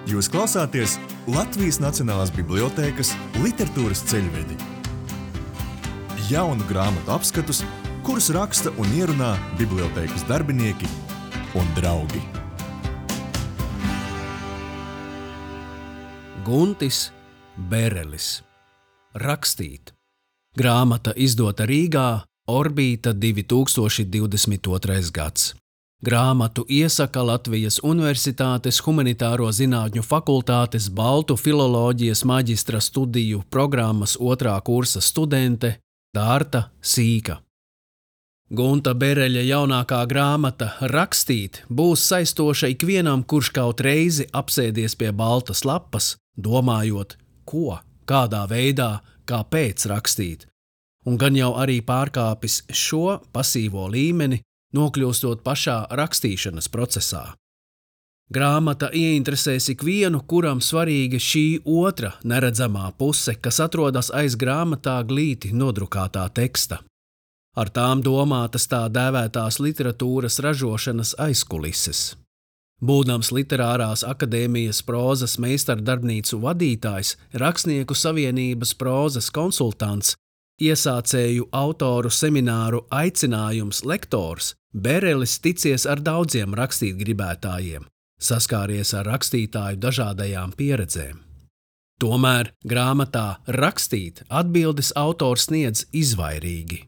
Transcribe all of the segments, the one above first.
Jūs klausāties Latvijas Nacionālās bibliotēkas literatūras ceļvedi. Jaunu grāmatu apskatus, kurus raksta un ierunā bibliotēkas darbinieki un draugi. Guntis Berelis. Rakstīt. Grāmata izdota Rīgā, Orbīta 2022. gads. Grāmatu iesaka Latvijas Universitātes Humanitāro zinātņu fakultātes Baltu filoloģijas maģistra studiju programmas 2. kursa studente Dārta Sīka. Gunta Bereļa jaunākā grāmata Rakstīt būs saistoša ikvienam, kurš kaut reizi apsēdies pie baltas lapas, domājot, ko, kādā veidā, kāpēc rakstīt, un gan jau arī pārkāpis šo pasīvo līmeni, nokļūstot pašā rakstīšanas procesā. Grāmata ieinteresēs ikvienu, kuram svarīga šī otra neredzamā puse, kas atrodas aiz grāmatā glīti nodrukātā teksta. Ar tām domātas tā dēvētās literatūras ražošanas aizkulises. Būdams Literārās akadēmijas prózas meistardarbnīcu vadītājs, Rakstnieku savienības prózas konsultants, iesācēju autoru semināru aicinājums lektors, Berelis ticies ar daudziem rakstīt gribētājiem, saskāries ar rakstītāju dažādajām pieredzēm. Tomēr grāmatā Rakstīt atbildes autors sniedz izvairīgi.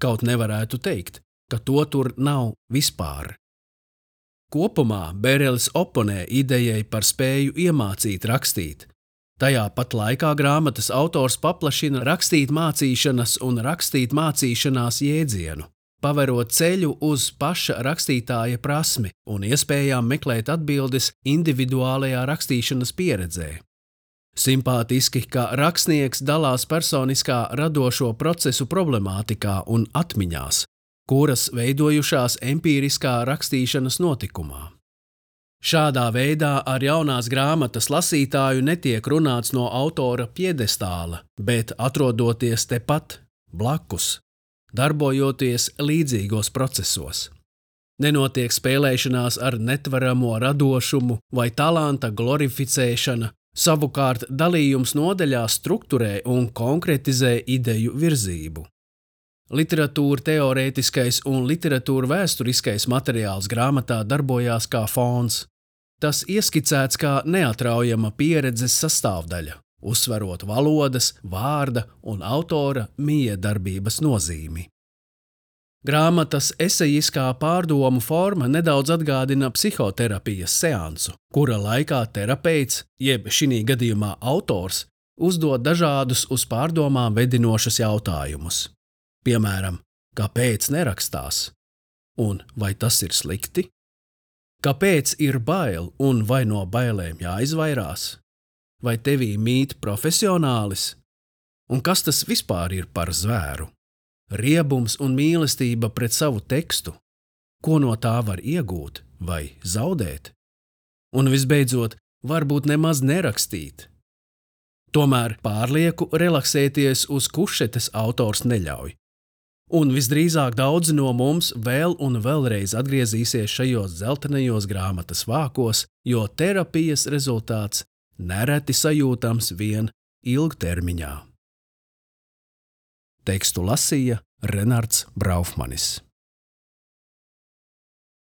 Kaut nevarētu teikt, ka to tur nav vispār. Kopumā Berelis oponē idejai par spēju iemācīt rakstīt. Tajā pat laikā grāmatas autors paplašina rakstīt mācīšanas un rakstīt mācīšanās jēdzienu, paverot ceļu uz paša rakstītāja prasmi un iespējām meklēt atbildes individuālajā rakstīšanas pieredzē. Simpātiski, ka rakstnieks dalās personiskā radošo procesu problemātikā un atmiņās, kuras veidojušās empīriskā rakstīšanas notikumā. Šādā veidā ar jaunās grāmatas lasītāju netiek runāts no autora piedestāla, bet atrodoties tepat, blakus, darbojoties līdzīgos procesos. Nenotiek spēlēšanās ar netveramo radošumu vai talanta glorificēšana, savukārt dalījums nodaļās strukturē un konkretizē ideju virzību. Literatūra teorētiskais un literatūra vēsturiskais materiāls grāmatā darbojās kā fons. Tas ieskicēts kā neatraujama pieredzes sastāvdaļa, uzsverot valodas, vārda un autora miedarbības nozīmi. Grāmatas esejiskā pārdomu forma nedaudz atgādina psihoterapijas seansu, kura laikā terapeits, jeb šinī gadījumā autors, uzdod dažādus uz pārdomām vedinošus jautājumus. Piemēram, kāpēc nerakstās? Un vai tas ir slikti? Kāpēc ir bail un vai no bailēm jāizvairās? Vai tevī mīt profesionālis? Un kas tas vispār ir par zvēru? Riebums un mīlestība pret savu tekstu? Ko no tā var iegūt vai zaudēt? Un visbeidzot, varbūt nemaz nerakstīt. Tomēr pārlieku relaksēties uz kušetes autors neļauj. Un visdrīzāk daudzi no mums vēl un vēlreiz atgriezīsies šajos dzeltenajos grāmatas vākos, jo terapijas rezultāts nereti sajūtams vien ilgtermiņā. Tekstu lasīja Renards Braufmanis.